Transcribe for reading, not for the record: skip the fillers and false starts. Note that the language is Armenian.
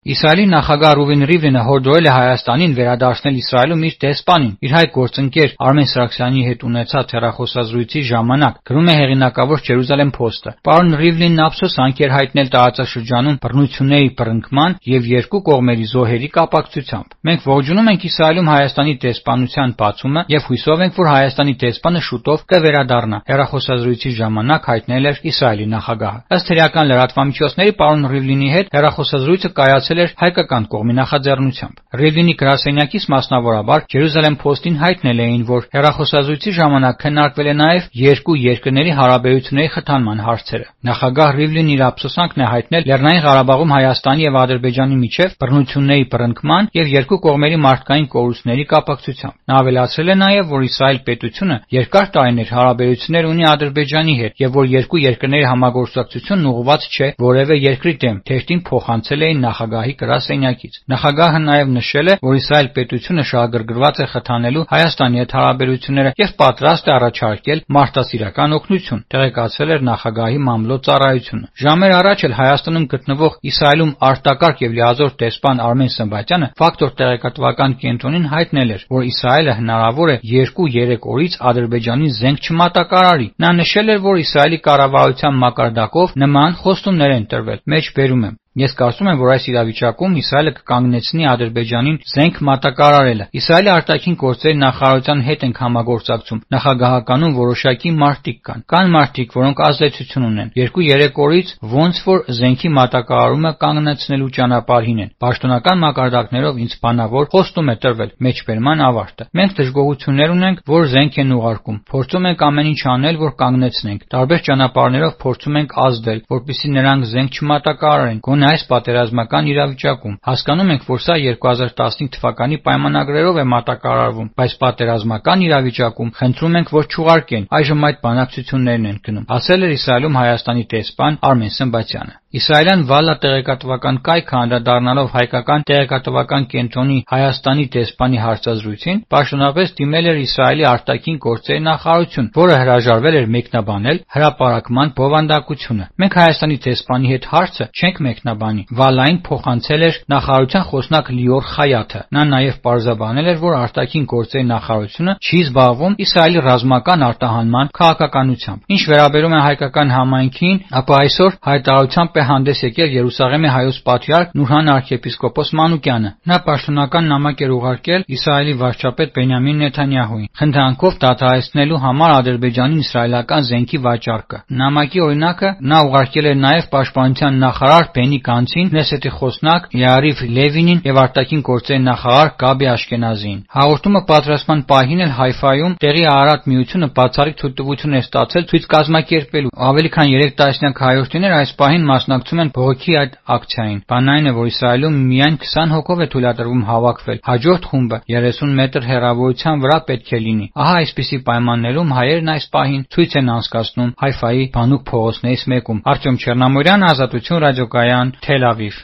Իսրայելի նախագահ Ռուվեն Ռիվլինը հորդորել է Հայաստանին վերադարձնել Իսրայելում իր դեսպանին։ Իր հայ գործընկեր Արմեն Սարգսյանի հետ ունեցած հեռախոսազրույցի ժամանակ գրում է հեղինակավոր Jerusalem Post-ը։ Պարոն Ռիվլինն ափսոսանք էր հայտնել տարածաշրջանում բռնությունների բռնկման եւ երկու կողմերի զոհերի կապակցությամբ։ Մենք ողջունում ենք Իսրայելում Հայաստանի դեսպանության բացումը եւ հույսով ենք, որ Հայաստանի դեսպանը շուտով կվերադառնա, հեռախոսազրույցի ժամանակ հայտնել էր Իսրայելի նախագահը։ Ըստ հրեական լրատվամիջոցների պարոն Ռիվլինի հետ հեռախոսազրույցը կայացել էր հայկական կողմի նախաձեռնությամբ։ Ռիվլինի գրասենյակից մասնավորաբար Jerusalem Post-ին հայտնել էին, որ հեռախոսազրույցի ժամանակ քննարկվել է նաև երկու երկրների հարաբերությունների խթանման հարցերը։ Նախագահ Ռիվլինն իր ափսոսանքն է հայտնել Լեռնային Ղարաբաղում Հայաստանի եւ Ադրբեջանի միջև բռնությունների բռնկման եւ երկու կողմերի մարդկային կորուստների կապակցությամբ։ Նա ավելացրել է նաև, որ Իսրայել պետությունը երկար տարիներ հարաբերություններ ունի Ադրբեջանի հետ եւ որ երկու երկրների համագործակցությունն ուղղված չէ որևէ երկրի դեմ, թերթին փոխանցել էին նախագահի գրասենյակից։ Նախագահը նաև նշել է, որ Իսրայել պետությունը շահագրգռված է խթանելու Հայաստանի հետ հարաբերությունները եւ պատրաստ է առաջարկել մարդասիրական օգնություն, տեղեկացրել էր նախագահի մամլո ծառայությունը։ Ժամեր առաջ էլ Հայաստանում գտնվող Իսրայելում արտակարգ եւ լիազոր դեսպան Արմեն Սմբատյանը Ֆակտոր տեղեկատվական կենտրոնին հայտնել էր, որ Իսրայելը հնարավոր է 2-3 օրից Ադրբեջանին զենք չմատակարարի։ Նա նշել էր, որ Իսրայելի կառավարության մակարդակով նման խոստումներ են տրվել։ Մեջբերում եմ. Ես կարծում եմ, որ այս իրավիճակում Իսրայելը կկանգնեցնի Ադրբեջանին զենք մատակարարելը։ Իսրայելի արտաքին գործերի նախարարության հետ ենք համագործակցում։ Նախագահականում որոշակի մարտիկ կան։ Կան մարտիկ, որոնք ազդեցություն ունեն։ 2-3 օրից ոնց որ զենքի մատակարարումը կանգնեցնելու ճանապարհին են։ Պաշտոնական մակարդակներով ինձ բանավոր խոստում է տրվել։ Մեջբերման ավարտը։ Մենք դժգոհություններ ունենք, որ զենք են ուղարկում։ Փորձում ենք ամեն ինչ անել, որ կանգնեցնենք։ Տարբեր ճանապարհներով փորձում ենք ազդել, որպեսզի նրանք զենք չմատակարարեն։ Այս պատերազմական իրավիճակում հասկանում ենք, որ սա 2015 թվականի պայմանագրերով է մատակարարվում, բայց պատերազմական իրավիճակում խնդրում ենք, որ չուղարկեն։ Այժմ այդ բանակցություններն են գնում, ասել էր Իսրայելում Հայաստանի դեսպան Արմեն Սմբատյանը։ Իսրայելյան Վալլա տեղեկատվական կայքը անդրադառնալով հայկական տեղեկատվական կենտրոնի Հայաստանի դեսպանի հարցազրույցին, պաշտոնապես դիմել էր Իսրայելի արտաքին գործերի նախարարություն, որը հրաժարվել էր մեկնաբանել հրապարակման բովանդակությունը։ Մենք Հայաստանի դեսպանի հետ հարցը չենք մեկնաբանի։ Վալլային փոխանցել էր նախարարության խոսնակ Լիոր Խայաթը։ Նա նաև պարզաբանել էր, որ արտաքին գործերի նախարարությունը չի զբաղվում Իսրայելի ռազմական արտահանման քաղաքականությամբ։ Ինչ վերաբերում է հայկական համայնքին, ապա այսօր հայտարարությամբ հանդես եկել Երուսաղեմի հայոց պատրիարք Նուրհան arczepiskopos Մանուկյանը։ Նա պաշտոնական նամակ էր ուղարկել Իսրայելի վարչապետ Բենյամին Նեթանյահուին, խնդրանքով դադարեցնելու համար Ադրբեջանին իսրայելական զենքի վաճառքը։ Նամակի օրինակը նա ուղարկել էր նաև պաշտպանության նախարար Բենի Գանցին, Քնեսեթի խոսնակ Յարիվ Լևինին եւ արտաքին գործերի նախարար Գաբի Աշքենազիին։ Հաղորդումը պատրաստման պահին էլ Հայֆայում տեղի Արարատ միությունը բացառիկ թույլտվություն է ստացել ցույց կազմակերպելու։ Ավելի քան 3 տասնյակ հայորդիներ այս պահին մասնակցում են բողոքի այդ ակցիային։ Բանն այն է, որ Իսրայելում միայն 20 հոգով է թույլատրվում հավաքվել։ Հաջորդ խումբը 30 մետր հեռավորության վրա պետք է լինի։ Ահա այսպիսի պայմաններում հայերն այս պահին ցույց են անցկացնում Հայֆայի բանուկ փողոցներից մեկում։ Արտյոմ Չեռնամորյան, Ազատություն ռադիոկայան, Թել Ավիվ։